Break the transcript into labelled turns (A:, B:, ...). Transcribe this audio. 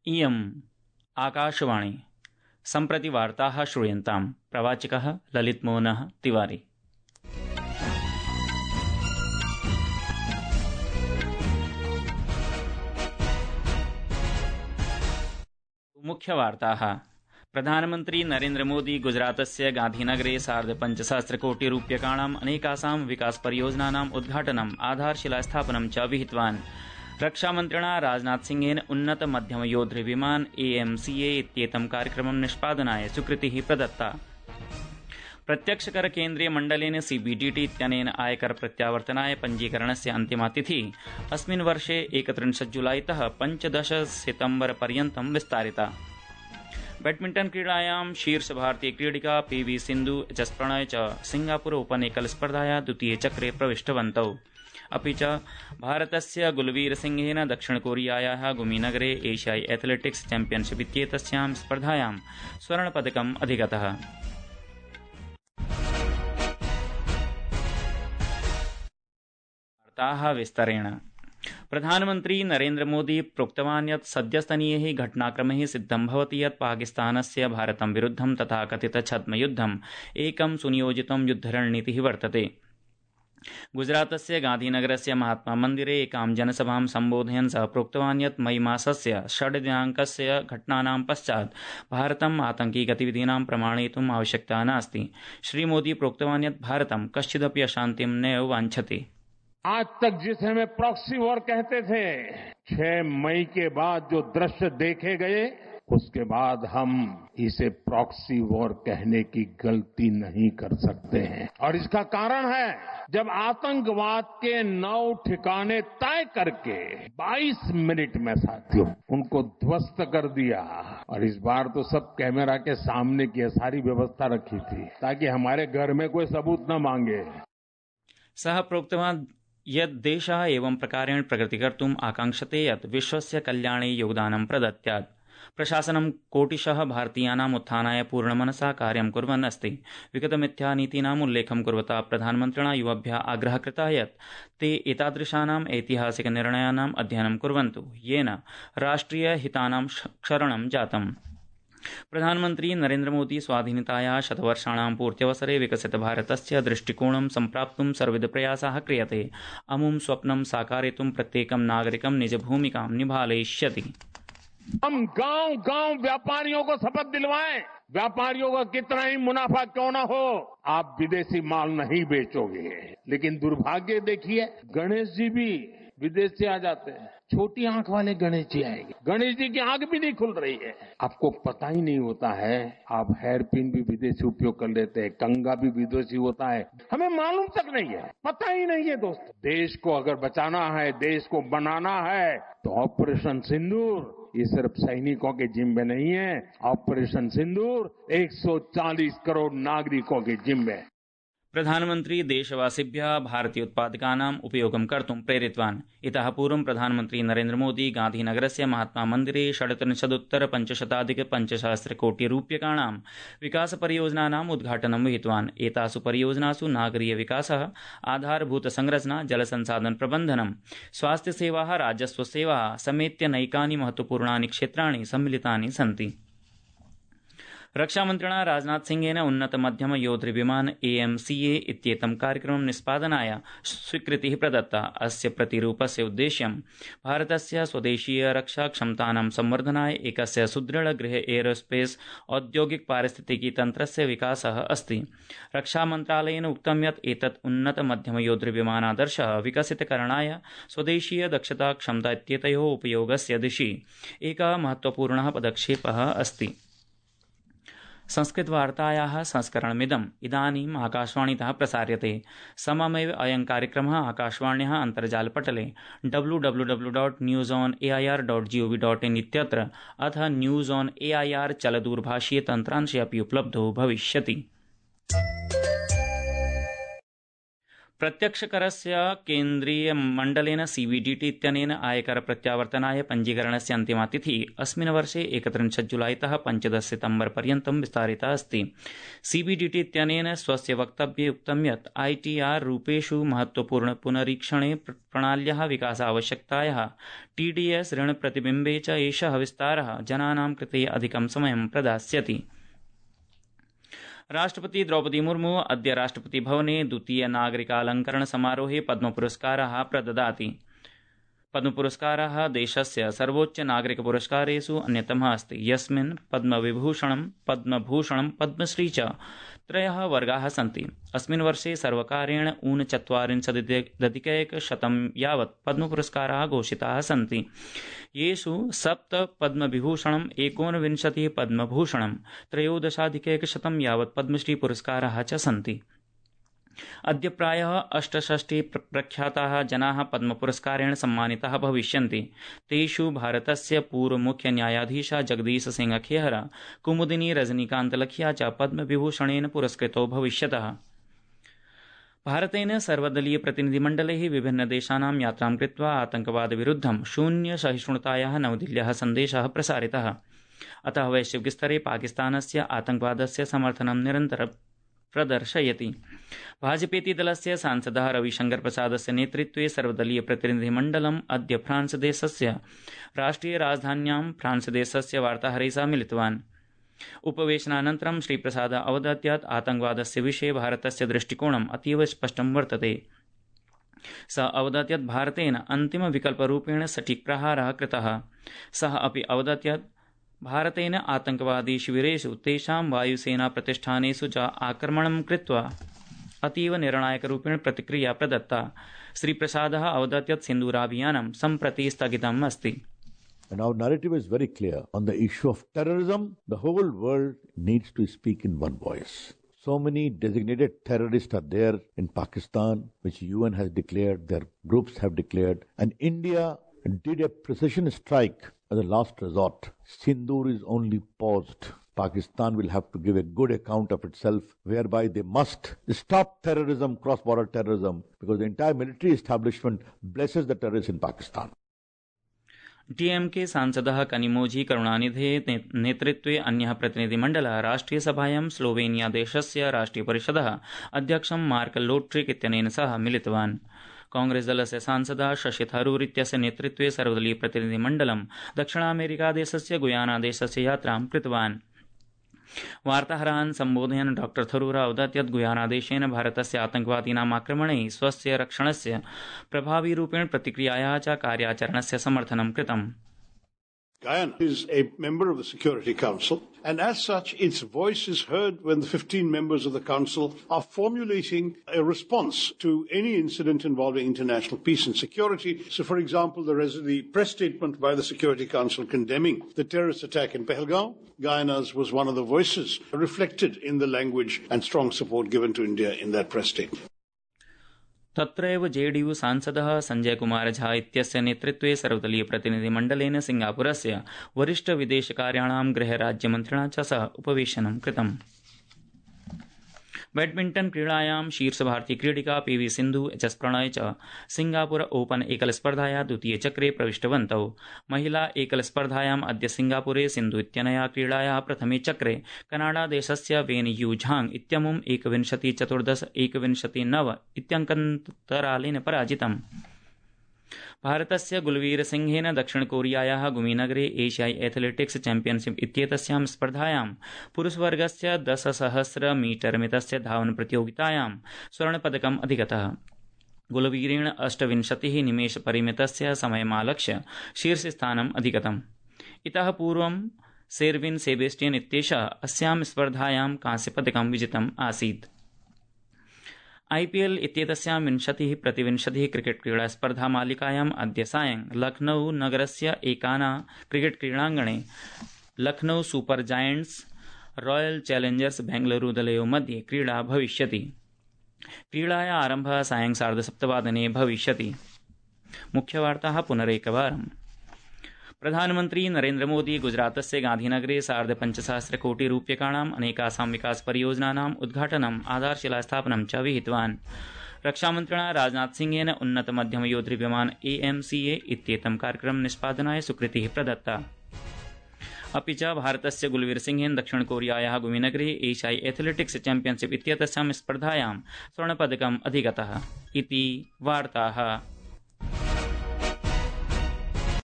A: इयम् आकाशवाणी सम्प्रति वार्ताः श्रूयन्ताम्। प्रवाचकः ललितमोहनः तिवारी। मुख्यवार्ताः। प्रधानमन्त्री नरेन्द्र मोदी गुजरातस्य गांधीनगरे 5,500 कोटि रूप्यकाणाम् अनेकासां विकासपरियोजनानाम् उद्घाटनम् आधारशिलास्थापनं च विहितवान्। रक्षामन्त्रिणा राजनाथ सिंहेन उन्नत मध्यम योद्धृ विमान AMCA इत्येतं कार्यक्रमं निष्पादनाय स्वीकृतिः प्रदत्ता। प्रत्यक्षकर केन्द्रीय मण्डलेन CBDT इत्यनेन आयकर प्रत्यावर्तनाय पञ्जीकरणस्य अन्तिमा तिथिः अस्मिन् वर्षे 31 जुलाईतः 15 सितम्बर पर्यन्तं विस्तारिता। बैडमिण्टन क्रीडायां शीर्ष भारतीय क्रीडिका PV सिन्धु HS प्रणय च सिंगापुर ओपन एकल स्पर्धाया द्वितीये चक्रे प्रविष्टवन्तौ। अपि च भारतस्य गुलवीर सिंहेन दक्षिण कोरियायाः गुमीनगरे एशियाई एथलेटिक्स चैम्पियनशिप इत्येतस्यां स्पर्धायां स्वर्णपदकम् अधिगतः। वार्ताः विस्तरेण। प्रधानमन्त्री नरेन्द्र मोदी प्रोक्तवान् यत् सद्यस्तनीयैः घटनाक्रमैः सिद्धं भवति यत् पाकिस्तानस्य भारतं विरुद्धं तथा कथित छद्मयुद्धम् एकं सुनियोजितं युद्धरणनीतिः वर्तते। गुजरातस्य गांधीनगरस्य महात्मा मन्दिरे एकां जनसभां सम्बोधयन् सः प्रोक्तवान् यत् मई मासस्य 6 दिनाङ्कस्य घटनानां पश्चात् भारतम् आतंकी गतिविधीनां प्रमाणयितुम् आवश्यकता नास्ति। श्रीमोदी प्रोक्तवान् यत् भारतं कश्चिदपि अशान्तिं नैव वाञ्छति।
B: आज तक जिसे हमें प्रॉक्सी वॉर कहते थे, 6 मई के बाद जो दृश्य देखे गए, उसके बाद हम इसे प्रॉक्सी वॉर कहने की गलती नहीं कर सकते हैं। और इसका कारण है, जब आतंकवाद के 9 ठिकाने तय करके 22 मिनट में साथियों उनको ध्वस्त कर दिया। और इस बार तो सब कैमरा के सामने की सारी व्यवस्था रखी थी ताकि हमारे घर में कोई सबूत न मांगे।
A: सः प्रोक्तवान् यत् देशः एवं प्रकारेण प्रगतिकर्तुम् आकाङ्क्षते यत् विश्वस्य कल्याणे योगदानं प्रदत्यात्। प्रशासनं कोटिशः भारतीयानाम् उत्थानाय पूर्णमनसा कार्यं कुर्वन् अस्ति। विगतमिथ्यानीतीनाम् उल्लेखं कुर्वता प्रधानमन्त्रिणा युवभ्यः आग्रहः कृतः यत् ते एतादृशानाम् ऐतिहासिक निर्णयानाम् अध्ययनं कुर्वन्तु येन राष्ट्रियहितानां क्षरणं जातम्। प्रधानमन्त्री नरेन्द्र मोदी स्वाधीनतायाः शतवर्षाणां पूर्त्यवसरे विकसित भारतस्य दृष्टिकोणं सम्प्राप्तुं सर्वविधप्रयासाः क्रियते। अमुं स्वप्नं साकारयितुं प्रत्येकं नागरिकं निजभूमिकां निभालयिष्यति।
B: हम गांव-गांव व्यापारियों को शपथ दिलवाएं। व्यापारियों का कितना ही मुनाफा क्यों न हो, आप विदेशी माल नहीं बेचोगे। लेकिन दुर्भाग्य देखिए, गणेश जी भी विदेश से आ जाते हैं। छोटी आंख वाले गणेश जी आएंगे, गणेश जी की आंख भी नहीं खुल रही है। आपको पता ही नहीं होता है, आप हेयर पिन भी विदेशी उपयोग कर लेते हैं, कंगा भी विदेशी होता है, हमें मालूम तक नहीं है, पता ही नहीं है। दोस्तों, देश को अगर बचाना है, देश को बनाना है, तो ऑपरेशन सिंदूर ये सिर्फ सैनिकों के जिम्मे नहीं है। ऑपरेशन सिंदूर 140 करोड़ नागरिकों के जिम्मे।
A: प्रधानमन्त्री देशवासिभ्यः भारतीय उत्पादकानाम् उपयोगं कर्तुं प्रेरितवान्। इतः पूर्वं प्रधानमन्त्री नरेन्द्र मोदी गांधीनगरस्य महात्मा मन्दिरे 37,500 कोटि रूप्यकाणां विकासपरियोजनानाम् उद्घाटनं विहितवान्। एतासु परियोजनासु नागरीय विकासः, आधारभूत संरचना, जलसंसाधन प्रबन्धनं, स्वास्थ्यसेवाः, राजस्वसेवाः समेत्य नैकानि महत्वपूर्णानि क्षेत्राणि सम्मिलितानि सन्ति। रक्षामन्त्रिणा राजनाथ सिंहेन उन्नत मध्यम योद्धृ विमान AMCA इत्येतं कार्यक्रमं निष्पादनाय स्वीकृतिः प्रदत्ता। अस्य प्रतिरूपस्य उद्देश्यं भारतस्य स्वदेशीय रक्षा क्षमतानां संवर्धनाय एकस्य सुदृढ गृह एरोस्पेस औद्योगिक पारिस्थितिकी तन्त्रस्य विकासः अस्ति। रक्षामन्त्रालयेन उक्तं यत् एतत् उन्नत मध्यम योद्धृ विमानादर्शः विकसितकरणाय स्वदेशीय दक्षता क्षमता इत्येतयोः उपयोगस्य दिशि एकः महत्वपूर्णः पदक्षेपः अस्ति। संस्कृतवार्तायाः संस्करणमिदम् इदानीम् आकाशवाणीतः प्रसार्यते। सममेव अयं कार्यक्रमः आकाशवाण्याः अन्तर्जालपटले www.newsonair.gov.in इत्यत्र अथ न्यूज़ ऑन AIR चलदूरभाषीय तन्त्रांशे अपि उपलब्धो भविष्यति। प्रत्यक्षकरस्य केन्द्रीयमण्डलेन सीबीडीटी इत्यनेन आयकर प्रत्यावर्तनाय पञ्जीकरणस्य अन्तिमा तिथिः अस्मिन् वर्षे 31 जुलाईतः 15 सितम्बर पर्यन्तं विस्तारिता अस्ति। सीबीडीटी इत्यनेन स्वस्य वक्तव्ये उक्तं यत् आईटीआर रूपेषु महत्वपूर्ण पुनरीक्षणे प्रणाल्याः विकासावश्यकतायाः टीडीएस ऋण प्रतिबिम्बे च एषः विस्तारः जनानां कृते अधिकं समयं प्रदास्यति। राष्ट्रपति द्रौपदी मुर्मू अद्य राष्ट्रपति भवने द्वितीय नागरिकालंकरण समारोहे पद्मपुरस्काराः प्रददाति। पद्मपुरस्कारः देशस्य सर्वोच्च नागरिकपुरस्कारेषु अन्यतमः अस्ति, यस्मिन् पद्मविभूषणं, पद्मभूषणं, पद्मश्री च त्रयः वर्गाः सन्ति। अस्मिन् वर्षे सर्वकारेण 49,100 यावत् पद्मपुरस्काराः घोषिताः सन्ति, येषु 7 पद्मविभूषणं, 29 पद्मभूषणं, 13,100 यावत् पद्मश्री पुरस्काराः च सन्ति। अद्य प्रायः 68 प्रख्याताः जनाः पद्मपुरस्कारेण सम्मानिताः भविष्यन्ति। तेषु भारतस्य पूर्वमुख्यन्यायाधीशः जगदीश सिंह खेहरा, कुमुदिनी रजनीकान्त लखिया च पद्मविभूषणेन पुरस्कृतो भविष्यतः। भारतेन सर्वदलीय प्रतिनिधिमण्डलैः विभिन्नदेशानां यात्रां कृत्वा आतंकवादविरुद्धं शून्य सहिष्णुतायाः नवदिल्ल्याः सन्देशः प्रसारितः। अतः वैश्विकस्तरे पाकिस्तानस्य आतंकवादस्य समर्थनं निरन्तरं प्रदर्शयति। भाजपेति दलस्य सांसदः रविशंकर प्रसादस्य नेतृत्वे सर्वदलीय प्रतिनिधिमण्डलम् अद्य फ्रांस देशस्य राष्ट्रिय राजधान्यां फ्रांस देशस्य वार्ताहरैः सह मिलितवान्। उपवेशनानन्तरं श्रीप्रसादः अवदत् यत् आतंकवादस्य विषये भारतस्य दृष्टिकोणम् अतीव स्पष्टं वर्तते। सः अवदत् यत् भारतेन अन्तिमविकल्परूपेण सटीक प्रहारः कृतः। सः अपि अवदत् यत् भारतेन आतंकवादी शिविरेषु तेषां वायुसेना प्रतिष्ठानेषु च आक्रमणं कृत्वा अतीव निर्णायकरूपेण प्रतिक्रिया प्रदत्ता। श्रीप्रसादः अवदत् यत् सिन्दूराभियानं सम्प्रति स्थगितम् अस्ति।
C: And our narrative is very clear. On the issue of terrorism, the whole world needs to speak in one voice. So many designated terrorists are there in Pakistan, which UN has declared, their groups have declared, and India did a precision strike as a last resort. Sindoor is only paused. Pakistan will have to give a good account of itself, whereby they must stop terrorism, cross-border terrorism, because the entire military establishment blesses the terrorists in Pakistan.
A: DMK सांसदः कनिमोझी करुणानिधेः नेतृत्वे अन्यः प्रतिनिधिमण्डलः राष्ट्रियसभायां Slovenia देशस्य राष्ट्रियपरिषदः अध्यक्षं mark लोट्रिक इत्यनेन सह मिलितवान्। कांग्रेस दलस्य सांसदः शशि थरूर इत्यस्य नेतृत्वे सर्वदलीय प्रतिनिधिमण्डलं दक्षिणामेरिकादेशस्य गुयाना देशस्य यात्रां कृतवान्। वार्ताहरान् सम्बोधयन् डॉ थरूर अवदत् यत् गुयानादेशेन भारतस्य आतंकवादीनाम् आक्रमणैः स्वस्य रक्षणस्य प्रभावीरूपेण प्रतिक्रियायाः च कार्याचरणस्य समर्थनं कृतम्।
D: Guyana is a member of the Security Council, and as such, its voice is heard when the 15 members of the Council are formulating a response to any incident involving international peace and security. So, for example, the press statement by the Security Council condemning the terrorist attack in Pahalgam, Guyana's was one of the voices reflected in the language and strong support given to India in that press statement.
A: तत्रैव JDU सांसदः संजय कुमार झा इत्यस्य नेतृत्वे सर्वदलीय प्रतिनिधिमण्डलेन सिंगापुरस्य वरिष्ठ विदेशकार्याणां गृहराज्यमन्त्रिणा च सह उपवेशनं कृतम्। बैडमिण्टन क्रीडायां शीर्ष भारतीय क्रीडिका पीवी सिन्धु एचएस प्रणय च सिंगापुर ओपन एकल स्पर्धाया द्वितीयचक्रे प्रविष्टवन्तौ। महिला एकल स्पर्धायाम् अद्य सिंगापुरे सिन्धु इत्यनया क्रीडायाः प्रथमे चक्रे कनाडा देशस्य वेन यू झांग इत्यमुं 21-14, 21-9 इत्यङ्कन्तरालेन पराजितम्। भारतस्य गुलवीर सिंहेन दक्षिण कोरियायाः गुमीनगरे एशियाई एथलेटिक्स चैम्पियनशिप इत्येतस्यां स्पर्धायां पुरुषवर्गस्य 10,000 मीटर मितस्य धावन प्रतियोगितायां स्वर्णपदकम् अधिगतः। गुलवीरेण 28 निमेष परिमितस्य समयमालक्ष्य शीर्षस्थानम् अधिगतम्। इतः पूर्वं सेर्विन सेबेस्टियन इत्येषः अस्यां स्पर्धायां कांस्यपदकं विजितम् आसीत्। आईपीएल इत्येतस्यां 20-20 क्रिकेट क्रीडा स्पर्धा मालिकायाम् अद्य सायं लखनऊ नगरस्य एकाना क्रिकेट क्रीडाङ्गणे Lucknow super giants royal challengers Bengaluru दलयोः मध्ये क्रीडा भविष्यति। क्रीडायाः आरम्भः सायं 7:30 भविष्यति। मुख्यवार्ताः पुनरेकवारम्। प्रधानमन्त्री नरेन्द्र मोदी गुजरातस्य गांधीनगरे 5,500 कोटि रूप्यकाणाम् अनेकासां विकास परियोजनानाम् उद्घाटनम् आधारशिलास्थापनं च विहितवान्। रक्षामन्त्रिणा राजनाथसिंहेन उन्नत मध्यम योद्धविमान AMCA इत्येतं कार्यक्रमं निष्पादनाय स्वीकृतिः प्रदत्ता। अपि च भारतस्य गुलवीर सिंहेन दक्षिण कोरियायाः गुमिनगरे एशियाई एथलेटिक्स चैम्पियनशिप इत्येतस्यां स्पर्धायां स्वर्णपदकम् अधिगतः इति वार्ताः।